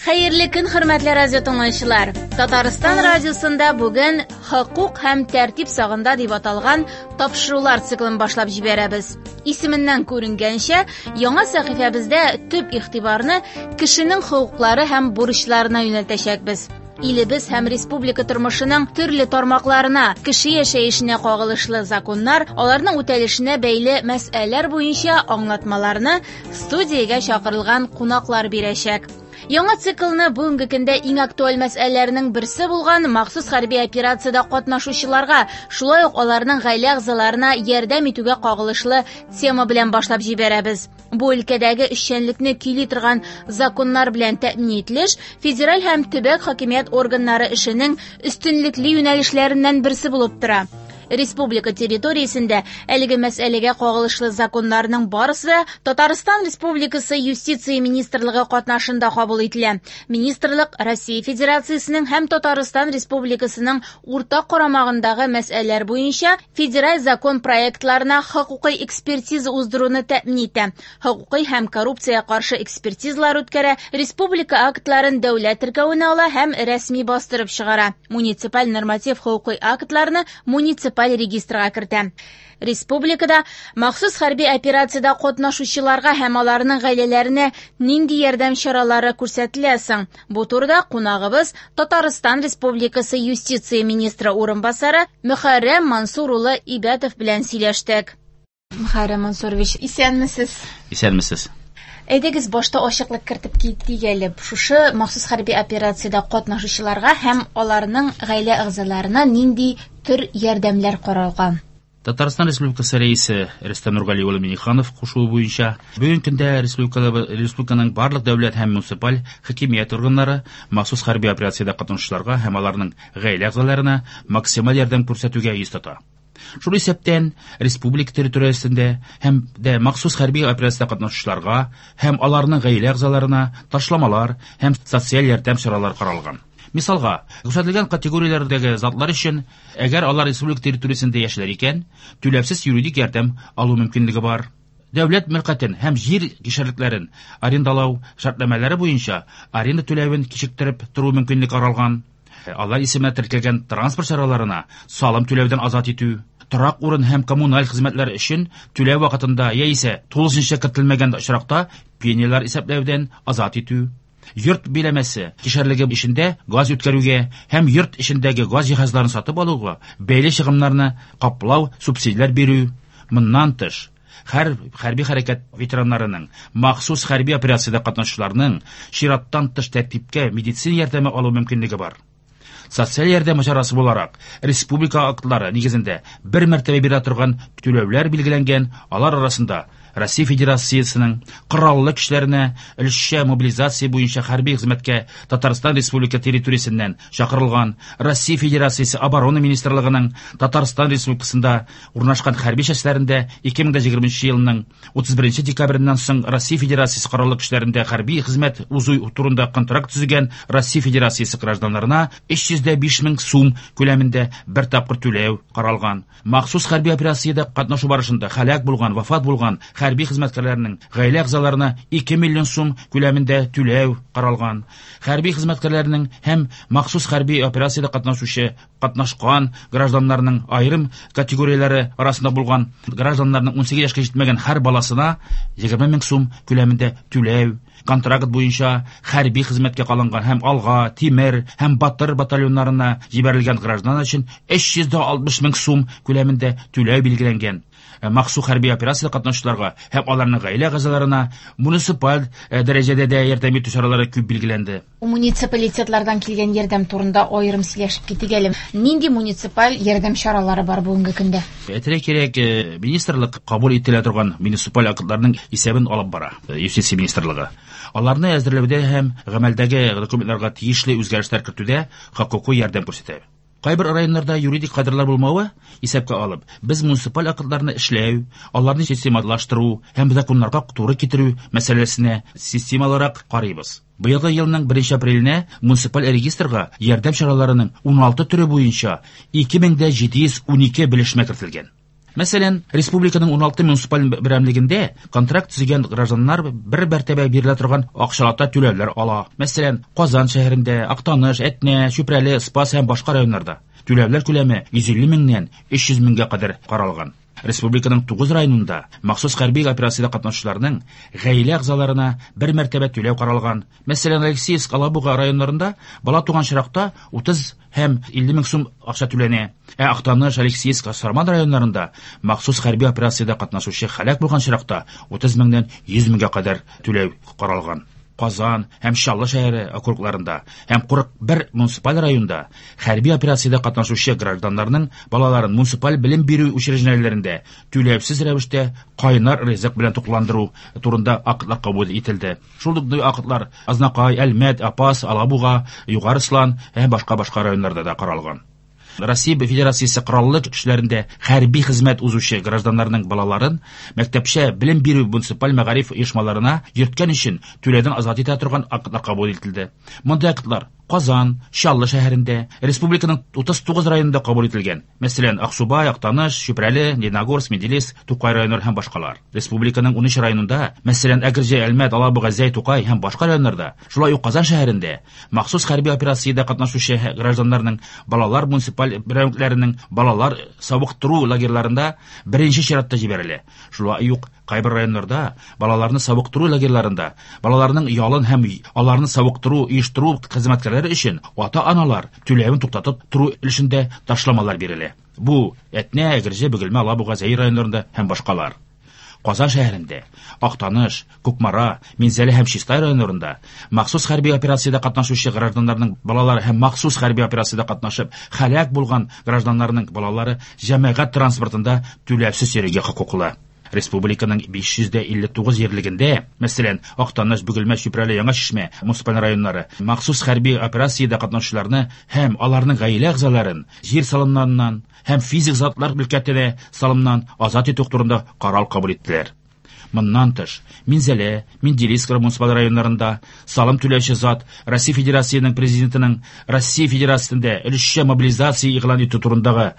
Хәерле көн, хөрмәтле радио тыңлаучылар! Татарстан радиосында бүген Хокук һәм тәртип сагында дип аталган тапшырулар циклын башлап җибәрәбез. Исеменнән күренгәнчә, яңа сәхифәбездә төп игътибарны кешенең хокуклары һәм бурычларына юнәлтәчәкбез. Илебез һәм республика тормышының төрле тармакларына, кеше яшәешенә кагылышлы законнар, аларның үтәлешенә бәйле мәсьәләләр буенча аңлатмаларны студиягә чакырылган кунаклар бирәчәк. Яңа циклны бүгенге көндә иң актуаль мәсьәләләрнең берсе булган махсус хәрби операциядә катнашучыларга, шулай ук аларның гаилә әгъзаларына ярдәм итүгә кагылышлы тема белән башлап җибәрәбез. Бу өлкәдәге эшчәнлекне көйли торган законнар белән тәэмин ителеш федераль һәм төбәк хакимият органнары эшенең өстенлекле юнәлешләреннән берсе булып тора. Республика территориясендә әлеге мәсьәләгә кагылышлы законнарның барысы да Татарстан Республикасы Юстиция министрлыгы катнашында кабул ителә. Министрлык Россия Федерациясенең һәм Татарстан Республикасының уртак карамагындагы мәсьәләләр буенча федераль закон проектларына хокукый экспертиза уздыруны тәэмин итә, хокукый һәм коррупциягә каршы экспертизалар үткәрә, республика актларын дәүләт теркәвенә ала һәм рәсми бастырып чыгара, муниципаль норматив хокукый актларны муниципаль регистрга кертә. Республикада махсус хәрби операциядә катнашучыларга һәм аларның гаиләләренә нинди ярдәм чаралары күрсәтелә соң? Бу турыда кунагыбыз Татарстан Республикасы юстиция министры урынбасары Мөхәррәм Мансур улы Ибәтов белән сөйләштек. Мөхәррәм Мансурович, исәнмесез? Исәнмесез. Әйдәгез, башта ачыклык кертеп китик әле. Шушы махсус хәрби операциядә катнашучыларга һәм аларның гаилә әгъзаларына нинди төр ярдәмнәр каралган? Татарстан Республикасы Рәисе Рөстәм Нургали улы Минниханов кушуы буенча, бүгенге көндә республиканың барлык дәүләт һәм муниципаль хакимият органнары махсус хәрби операциядә катнашучыларга һәм аларның гаилә әгъзаларына максималь ярдәм күрсәтүгә йөз тота. Шул исәптән, республика территориясендә һәм дә махсус хәрби операциядә катнашучыларга һәм аларның гаилә әгъзаларына ташламалар һәм социаль ярдәм чаралары каралган. Мисалга, күрсәтелгән категорияләрдәге затлар өчен, әгәр алар республика территориясендә яшиләр икән, түләүсез юридик ярдәм алу мөмкинлеге бар. Дәүләт мөлкәтен һәм җир кишәрлекләрен арендалау шартнамәләре буенча аренда түләвен кичектереп тору мөмкинлеге каралган. Алар исеменә теркәлгән транспорт чараларына салым түләүдән азат итү, торак урын һәм коммуналь хезмәтләр өчен түләү вакытында яисә тулысынча кертелмәгән очракта пенялар исәпләүдән азат итү, йорт биләмәсе кишәрлеге эчендә газ үткәрүгә һәм йорт эчендәге газ җиһазларын сатып алуга бәйле чыгымнарны каплау субсидияләр бирү. Моннан тыш, һәр хәрби хәрәкәт ветераннарының, махсус хәрби операциядә катнашучыларның чираттан тыш тәртипкә медицина ярдәме алу мөмкинлеге бар. Социаль ярдәм чарасы буларак, республика актлары нигезендә бер мәртәбә бирә торган түләүләр билгеләнгән, алар арасында Россия Федерациясенең Кораллы көчләренә өлешчә мобилизация буенча хәрби хезмәткә Татарстан Республика территориясеннән чакырылган Россия Федерациясе Оборона Министрлыгының Татарстан Республикасында урнашкан хәрби частьләрендә 2020 елның 31 декабреннән соң Россия Федерациясе Кораллы көчләрендә хәрби хезмәт узу турында контракт төзегән Россия Федерациясе гражданнарына 305 мең сум күләмендә бер тапкыр түләү каралган. Махсус хәрби операциядә катнашу барышында һәлак булган, вафат булган хәрби хезмәткәрләрнең гаилә әгъзаларына 2 миллион сум күләмендә түләү каралган. Хәрби хезмәткәрләрнең һәм махсус хәрби операциядә катнашучы катнашкан гражданнарның аерым категорияләре арасында булган гражданнарның 18 яшькә җитмәгән һәр баласына 20 мең сум күләмендә түләү. Контракт буенча хәрби хезмәткә калынган һәм Алга, Тимер һәм Батыр батальоннарына җибәрелгән гражданнар өчен 360 мең сум күләмендә түләү билгеләнгән. Махсус хәрби операциядә катнашучыларга һәм аларның гаилә әгъзаларына муниципаль дәрәҗәдә дә ярдәм итү чаралары күп билгеләнде. Муниципалитетлардан килгән ярдәм турында аерым сөйләшеп китик әле. Нинди муниципаль ярдәм чаралары бар бүгенге көндә? Әйтергә кирәк, министрлык кабул ителә торган муниципаль актларның исәбен алып бара, юстиция министрлыгы. Аларны әзерләүдә һәм гамәлдәге документларга тиешле үзгәрешләр кертүдә хокукый ярдәм күрсәтә. Кайбер районнарда юридик кадрлар булмавы исәпкә алып, без муниципаль актларны эшләү, аларны системалаштыру һәм законнарга туры китерү мәсьәләсенә системалырак карыйбыз. Быелгы елның 1 апреленә муниципаль регистрга ярдәм чараларының 16 төре буенча 2712 белешмә кертелгән. Мәсәлән, республиканың 16 муниципаль берәмлегендә контракт төзегән гражданнар бер мәртәбә бирелә торган акчалата түләүләр ала. Мәсәлән, Казан шәһәрендә, Актаныш, Әтнә, Чүпрәле, Спас һәм башка районнарда түләүләр күләме 150 меңнән 300 меңгә кадәр каралган. Республиканың 9 районында махсус хәрби операциядә катнашучыларның гаилә әгъзаларына бер мәртәбә түләү каралган. Мәсәлән, Алексеевск, Алабуга районнарында бала туган очракта 30 һәм 50 мең сум акча түләнә. Ә Актаныш, Алексеевск, Сарман районнарында махсус хәрби операциядә катнашучы һәлак булган очракта 30 меңнән 100 меңгә кадәр түләү каралган. Казан һәм Чаллы шәһәре округларында һәм 41 муниципаль районда хәрби операциядә катнашучы гражданнарның балаларын муниципаль белем бирү учреждениеләрендә түләүсез рәвештә кайнар ризык белән тукландыру турында актлар кабул ителде. Шул ук актлар Азнакай, Әлмәт, Апас, Алабуга, Югары Слан һәм башка-башка районнарда да каралган. Россия Федерациясе Кораллы көчләрендә хәрби хезмәт узучы гражданнарның балаларын мәктәпчә белем бирү муниципаль мәгариф оешмаларына йөрткән өчен түләүдән азат итә торган актлар кабул ителде. Мондый актлар Казан, Чаллы шәһәрендә, республиканың 39 районында кабул ителгән. Мәсәлән, Аксубай, Актаныш, Чүпрәле, Лениногорск, Менделеевск, Тукай районнары һәм башкалар. Республиканың 13 районында, мәсәлән, Әгерҗе, Әлмәт, Алабуга, Зәй, Тукай һәм башка районнарда, шулай ук Казан шәһәрендә махсус хәрби операциядә катнашучы гражданнарның балалар муниципаль берәмлекләренең балалар савыктыру лагерьларында беренче чиратта җибәрелә. Шулай ук кайбер районнарда балаларны савыктыру лагерьларында балаларның ялын һәм аларны савыктыру оештыру хезмәткәрләре өчен ата-аналар түләвен туктатып тору өлешендә ташламалар бирелә. Бу Әтнә, Әгерҗе, Бөгелмә, Алабуга, Зәй районнарында һәм башкалар. Казан шәһәрендә, Актаныш, Кукмара, Минзәлә һәм Чистай районнарында махсус хәрби операциядә катнашучы гражданнарның балалары һәм махсус хәрби операциядә катнашып һәлак булган гражданнарның балалары җәмәгать транспортында түләүсез йөрергә хокуклы. Республиканың 559 җирлегендә, мәсәлән, Актаныш, Бөгелмә, Чүпрәле, Яңа Чишмә муниципаль районнары махсус хәрби операциядә катнашучыларны һәм аларның гаилә әгъзаларын җир салымнарыннан һәм физик затлар мөлкәтенә салымнан азат итү турында карар кабул иттеләр. Моннан тыш, Минзәлә, Менделеевск муниципаль районнарында салым түләүче зат Россия Федерациясенең Президентының Россия Федерациясендә өлешчә мобилизация игълан итү турындагы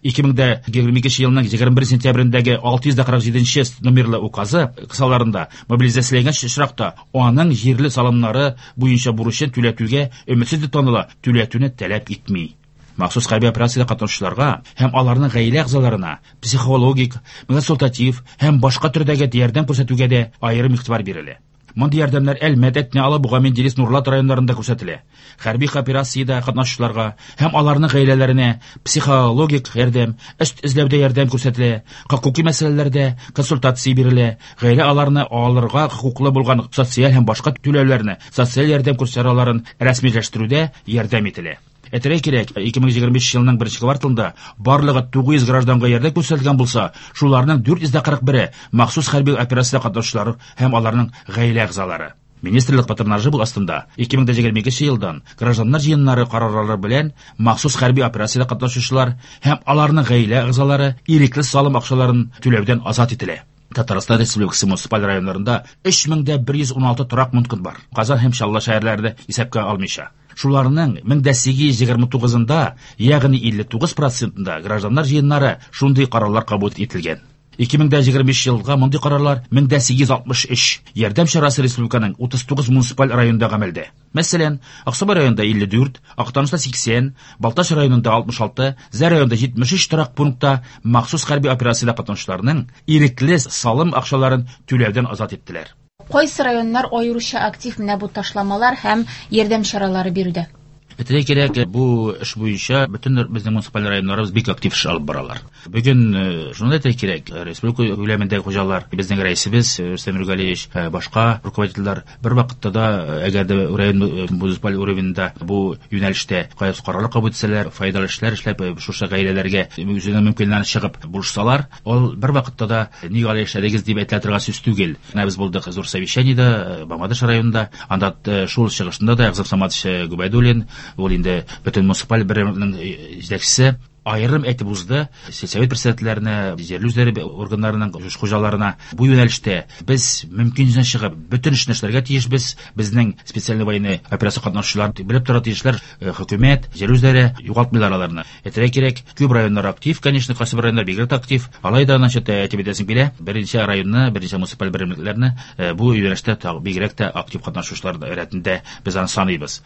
2022 елның 21 сентябрендәге 647 номерлы указы кысаларында мобилизацияләнгән очракта аның җирле салымнары буенча бурычын түләтүгә өметсез дип таныла, түләтүне таләп итми. Махсус хәрби операциядә катнашучыларга һәм аларның гаилә әгъзаларына психологик, консультатив һәм башка төрдәге ярдәм күрсәтүгә дә аерым игътибар бирелә. Мондый ярдәмнәр Әлмәт, Әтнә, Алабуга, Менделеевск, Нурлат районнарында күрсәтелә. Хәрби операциядә катнашучыларга һәм аларның гаиләләренә психологик ярдәм, эш эзләүдә ярдәм күрсәтелә, хокуки мәсьәләләрдә консультация бирелә, гаилә аларны алырга хокуклы булган социаль һәм башка түләүләрне, социаль ярдәм чараларын рәсмиләштерүдә ярдәм ителә. Әйтергә кирәк, 2025 елның беренче кварталында барлыгы 900 гражданга ярдәм күрсәтелгән булса, шуларның 441-е махсус хәрби операциядә катнашучылар һәм аларның гаилә әгъзалары. Министрлык патронажы астында 2022 елдан гражданнар җыеннары карарлары белән махсус хәрби операциядә катнашучылар һәм аларның гаилә әгъзалары ирекле салым акчаларын түләүдән азат ителә. Татарстан Республикасы муниципаль районнарында 3116 торак пункт бар. Казан һәм Чаллы шәһәрләрен исәпкә алмыйча. Шуларның 1829-ында, ягъни 59%-ында гражданнар җыеннары шундый карарлар кабул ителгән. 2025 елга мондый карарлар 1863. Ярдәм чарасы республиканың 39 муниципаль районында гамәлдә. Мәсәлән, Аксубай районында 54, Актанышта 80, Балтач районында 66, Зәй районында 73 торак пунктта махсус хәрби операциядә катнашучыларның ирекле салым акчаларын түләүдән азат иттеләр. Кайсы районнар аеруча актив менә бу ташламалар һәм ярдәм чаралары бирүдә? Әйтергә кирәк, бу эш буенча бөтен безнең муниципаль районнарыбыз бик актив эш алып баралар. Бүген шуны әйтергә кирәк, республика күләмендәге хуҗалар, безнең рәисебез Рөстәм Нургалиевич, башка руководительләр бер вакытта да, әгәр дә район муниципаль уровеньда бу юнәлештә кайсы карарлар кабул итсәләр, файдалы эшләр эшләп, шушы гаиләләргә үзенең мөмкинлегеннән чыгып булышсалар, ул бер вакытта да нигә алай эшләдегез дип әйтелә торган сүз түгел. Менә без булдык зур совещаниедә, Мамадыш районында, анда шул чыгышында да Әгъзам Саматович Губайдуллин, ул инде бөтен муниципаль берәмлекнең җитәкчесе. Аерым әйтеп узды сельсовет председательләренә, җирле үзләре органнарының хуҗаларына. Бу юнәлештә без мөмкинлектән чыгып бөтен эшне эшләргә тиешбез. Безнең специальный военный операция катнашучылар белеп тора тиешләр, хөкүмәт, җирле үзләре югалтмыйлар аларны. Әйтергә кирәк, күп районнар актив, конечно, кайсы бер районнар бигрәк тә актив. Алай да, значит, әйтеп әйтәсем килә, берничә районны, берничә муниципаль берәмлекләрне бу юнәлештә бигрәк тә актив катнашучылар рәтендә без аны саныйбыз.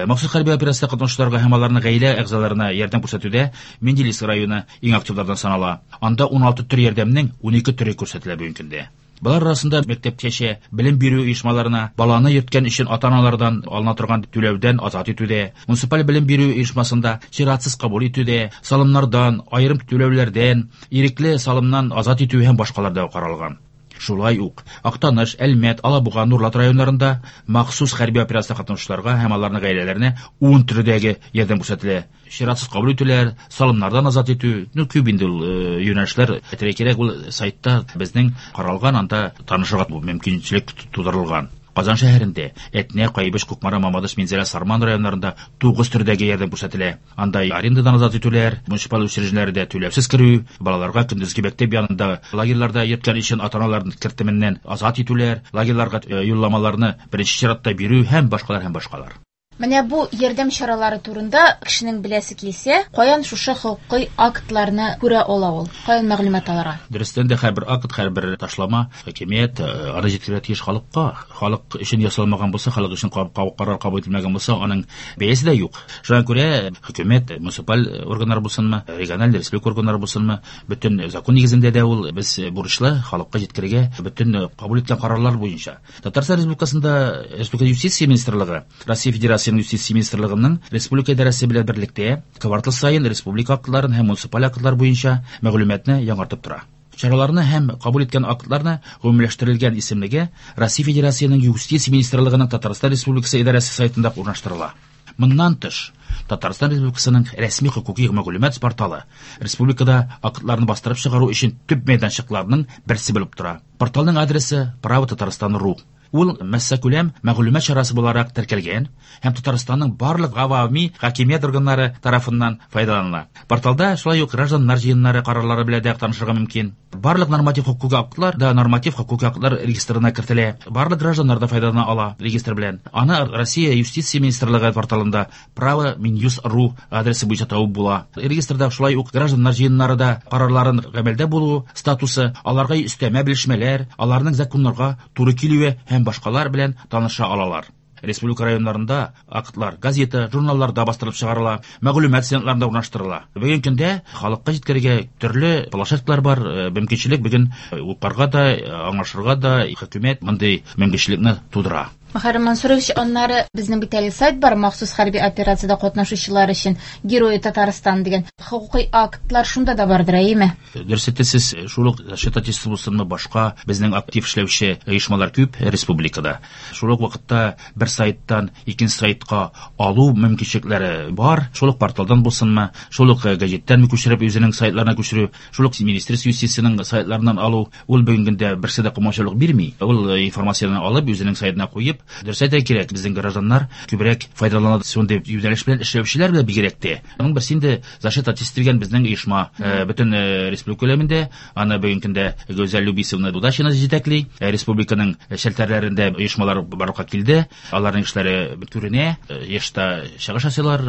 Махсус хәрби операциядә катнашучыларга һәм аларның гаилә әгъзаларына ярдәм күрсәтүдә Менделеевск районы иң активлардан санала. Анда 16 төр ярдәмнең 12 төре күрсәтелә бүгенге көндә. Болар арасында мәктәпкәчә белем бирү оешмаларына баланы йөрткән өчен ата-аналардан алына торган түләүдән азат итүдә, муниципаль белем бирү оешмасында чиратсыз кабул итүдә, салымнардан, аерым түләүләрдән, ирекле салымнан азат итү һәм башкалар да каралган. Шулай ук Актаныш, Әлмәт, Алабуга, Нурлат районнарында махсус хәрби операция катнашучыларга һәм аларның гаиләләренә 10 төрдәге ярдәм күрсәтелә. Чиратсыз кабул итүләр, салымнардан азат итү, ну күп инде ул юнәлешләр. Әйтергә кирәк, ул сайтта безнең каралган, анда танышырга мөмкинчелек тудырылган. Казан шәһәрендә Әтнә, Кайбыч, Кукмара, Мамадыш, Минзәлә, Сарман районнарында 9 төрдәге ярдәм күрсәтелә. Анда арендадан азат итүләр, муниципаль учреждениеләрдә түләүсез керү, балаларга көндезге мәктәп янында лагерьларда йөрткән өчен ата-аналарның кертеменнән азат итүләр, лагерьларга юлламаларны беренче чиратта бирү һәм башкалар һәм башкалар. Менә бу ярдәм чаралары турында кешенең беләсе килсә, каян шушы хокукый актларны күрә ала ул? Каян мәгълүмат алырга? Дөрестән дә һәрбер акт, һәрбер ташлама хакимият аны җиткерергә тиеш халыкка. Халык өчен ясалмаган булса, халык өчен карар кабул ителмәгән булса, аның бәясе дә юк. Шуңа күрә хөкүмәт, муниципаль органнар булсынмы, региональ, республика органнары булсынмы, бөтен закон нигезендә дә ул без бурычлы халыкка җиткерергә бөтен кабул иткән карарлар буенча. Татарстан Республикасында Республика Юстиция министрлыгы, Россия Федерациясенең Юстиция министрлыгының республика идарәсе белән берлектә квартал саен республика актларын һәм муниципаль актлар буенча мәгълүматны яңартып тора. Чараларны һәм кабул иткән актларны гомумиләштерелгән исемлеге Россия Федерациясенең Юстиция министрлыгының Татарстан Республикасы идарәсе сайтында урнаштырыла. Моннан тыш, Татарстан Республикасының рәсми хокукый мәгълүмат порталы республикада актларны бастырып чыгару өчен төп мәйданчыкларның берсе булып тора. Порталның адресы право Татарстан.ру. Ул массакүләм мәгълүмат чарасы буларак теркәлгән һәм Татарстанның барлык гавами хакимият органнары тарафыннан файдаланыла. Порталда шулай ук гражданнар җыеннары карарлары белән дә танышырга мөмкин. Барлык норматив хокукый актлар да норматив хокукый актлар регистрына кертелә. Барлыгк гражданнар да файдалана ала регистр белән. Аны Россия Юстиция министрлыгы порталында право минюс.ру адресы буенча табып була. Регистрда шулай ук гражданнар җыеннары да карарларын гамәлдә булу статусы, аларга өстәмә белешмәләр, аларның законнарга туры килүе һәм башкалар белән таныша алалар. Республика районнарында актлар газета, журналларда бастырылып чыгарыла, мәгълүмат стендларында урнаштырыла. Бүгенге көндә халыкка җиткерергә төрле площадкалар бар, мөмкинчелек бүген укырга да, аңлашырга да хөкүмәт мондый мөмкинчелекне тудыра. Мөхәррәм Мансурович, аннары безнең бит әле сайт бар, махсус хәрби операциядә катнашучылар өчен Герои Татарстан дигән. Хокукый актлар шунда да бардыр, әйеме? Дөрес әйтәсез, шул ук Защита Отечества булсынмы, башка безнең актив эшләүче оешмалар күп республикада. Шул ук вакытта бер сайттан икенче сайтка алу мөмкинчелекләре бар. Шул ук порталдан булсынмы, шул ук гәҗиттән күчереп үзенең сайтларына күчерү, шул ук Министерство юстициясенең сайтларыннан алу, ул бүгенге көндә берсе дә комачаулык бирми. Ул информацияне алып үзенең сайтына куеп, дөрес әйтергә кирәк, безнең гражданнар күбрәк файдалана шундый юнәлеш белән эшләүчеләр белән бигрәк тә. Аның берсе инде Защита Отечества дигән безнең оешма, бөтен республика күләмендә, аны бүгенге көндә Гүзәл Любисовна Дудашина җитәкли. Республиканың челтәрләрендә оешмалар барлыкка килде. Аларның эшләре күренә, еш та чыгыш ясыйлар,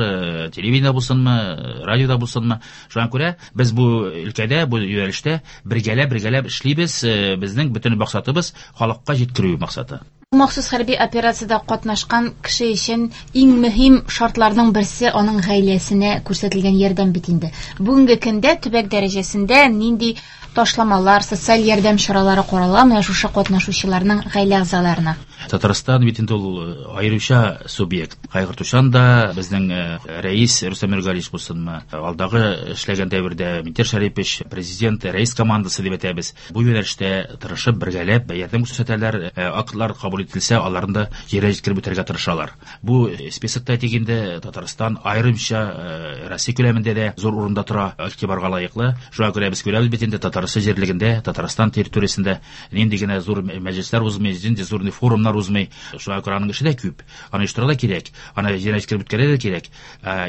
телевидениедә булсынмы, радиода булсынмы. Шуңа күрә без бу өлкәдә, бу юнәлештә бергәләп-бергәләп эшлибез. Безнең бөтен максатыбыз халыкка җиткерү максаты. Махсус хәрби операциядә катнашкан кеше өчен иң мөһим шартларның берсе аның гаиләсенә күрсәтелгән ярдәм бит инде. Бүгенге көндә төбәк дәрәҗәсендә нинди ташламалар, социаль ярдәм чаралары карала менә шушы катнашучыларның гаилә әгъзаларына? Татарстан бит инде ул аеруча субъект. Кайгыртучан да безнең рәис Рөстәм Миргалиевич булсынмы, алдагы эшләгән дәвердә Минтимер Шәрипович, президент, рәис командасы дип әйтәбез. Бу юнәлештә тырышып, бергәләп ярдәм күрсәтәләр, актлар кабул ителсә, аларны да җиргә җиткереп үтәргә тырышалар. Бу списокта әйтик инде, Татарстан аерымча Россия күләмендә дә зур урында тора, игътибарга лаеклы. Шуңа күрә без күрәбез бит инде Татарстан җирлегендә, Татарстан территориясендә нинди генә зур мәҗлесләр узмый, нинди зур форумнар узмый. Шуңа күрә аның эше дә күп. Аны оештырырга да кирәк, аны җиренә җиткереп үткәрергә дә кирәк.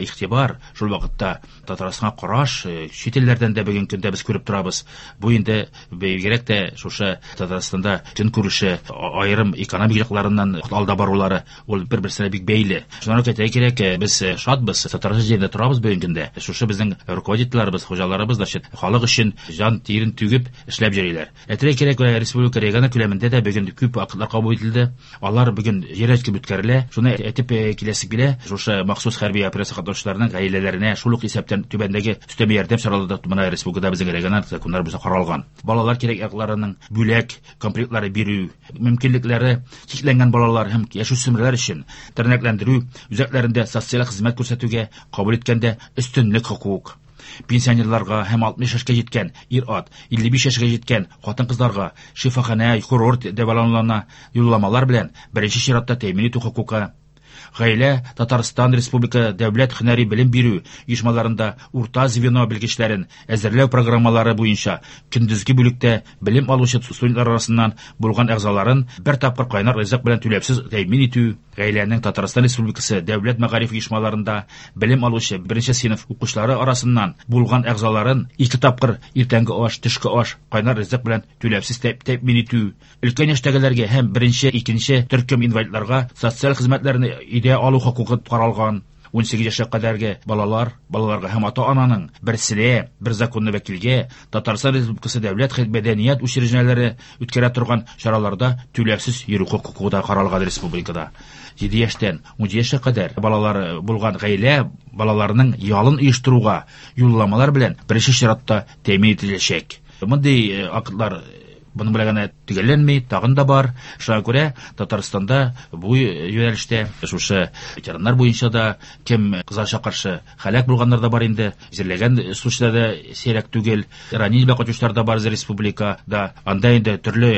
Игътибар, шул вакытта Татарстанга караш чит илләрдән дә бүгенге көндә без күреп торабыз. Бу инде бигрәк тә шушы Татарстанда көнкүреше, аерым экономик якларыннан алда барулары, ул бер-берсенә бик бәйле. Шуны әйтергә кирәк, без шатбыз, Татарстан җирендә торабыз бүгенге көндә. Шушы безнең руководительләребез, хуҗаларыбыз, значит, халык өчен җан тирен түгеп эшләп йөриләр. Әйтергә кирәк, республика регионы күләмендә дә бүген күп актлар кабул ителде. Алар бүген җир әчкеп үткәрелә. Шуны әйтеп киләсе килә, шушы махсус хәрби операция катнашучыларының гаиләләренә шул ук исәптән түбәндәге өстәмә ярдәм чаралары да менә республикада безнең региональ законнар буенча каралган. Балалар кирәк якларының бүләк комплектлары бирү, мөмкинлекләре чикләнгән балалар һәм яшүсмерләр өчен тернәкләндерү үзәкләрендә социаль хезмәт күрсәтүгә кабул иткәндә өстенлек хокук. Пенсионерларга һәм 60 яшькә җиткән ир-ат, 55 яшькә җиткән хатын-кызларга шифаханә, курорт дәвалануларына юлламалар белән беренче чиратта тәэмин итү хокукы. Гаилә Татарстан Республика дәүләт һөнәри белем бирү оешмаларында урта звено белгечләрен әзерләү программалары буенча көндезге бүлектә белем алучы студентлар арасыннан булган әгъзаларын бер тапкыр кайнар ризык белән түләүсез тәэмин итү. Гаиләнең Татарстан Республикасы дәүләт мәгариф оешмаларында белем алучы беренче сыйныф укучылары арасыннан булган әгъзаларын ике тапкыр иртәнге аш, төшке аш, кайнар ризык белән түләүсез тәэмин итү. Өлкән яшьтәгеләргә һәм беренче, икенче төркем инвалидларга социаль хезмәтләрне өйдә алу хокукы каралган. 18 яшькә кадәрге балалар, балаларга һәм ата-ананың берсенә, бер законлы вәкилгә Татарстан Республикасы дәүләт мәдәният учреждениеләре үткәрә торган чараларда түләүсез йөрү хокукы да каралган республикада. 7 яшьтән 17 яшькә кадәр балалары булган гаилә балаларының ялын оештыруга юлламалар белән беренче чиратта тәэмин ителәчәк. Мондый актлар Моның белән генә төгәлләнми, тагын да бар. Шуңа күрә Татарстанда бу юнәлештә шушы ветераннар буенча да кем кызганычка каршы һәлак булганнар да бар инде, җирләгән случайлар да сирәк түгел, ранение белән кайтучылар да бар республикада. Анда инде төрле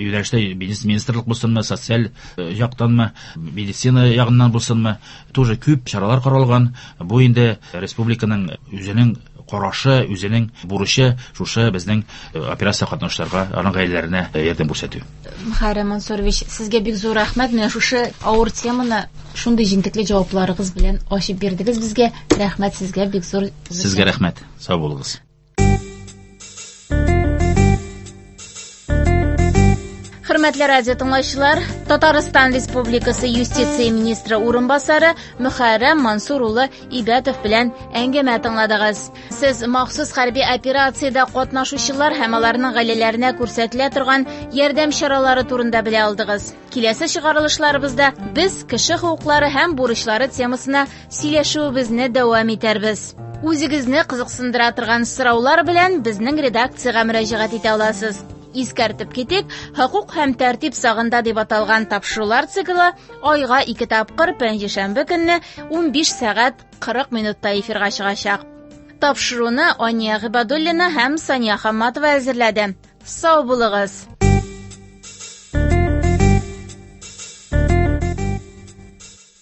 юнәлештә министрлык булсынмы, социаль яктанмы, медицина ягыннан булсынмы, тоже күп чаралар каралган. Бу инде республиканың үзенең карашы, үзенең бурычы шушы безнең операция катнашучыларга, аның гаиләләренә ярдәм күрсәтү. Мөхәррәм Мансурович, сезгә бик зур рәхмәт. Менә шушы авыр теманы шундый җентекле җавапларыгыз белән ачып бирдегез безгә. Рәхмәт сезгә бик зур. Сезгә рәхмәт. Сау булыгыз. Хөрмәтле радио тыңлаучылар, Татарстан Республикасы юстиция министры урынбасары Мөхәррәм Мансур улы Ибәтов белән әңгәмә тыңладыгыз. Сез махсус хәрби операциядә катнашучылар һәм аларның гаиләләренә күрсәтелә торган ярдәм чаралары турында белә алдыгыз. Киләсе чыгарылышларыбызда без кеше хокуклары һәм бурычлары темасына сөйләшүебезне дәвам итәрбез. Үзегезне кызыксындыра торган сораулар белән безнең редакциягә мөрәҗәгать итә аласыз. Искәртеп китик, хокук һәм тәртип сагында дип аталган тапшырулар циклы айга ике тапкыр пәнҗешәмбе көнне 15 сәгать 40 минутта эфирга чыгачак. Тапшыруны Ания Гыйбадуллина һәм Сания Хамматова әзерләде. Сау булыгыз!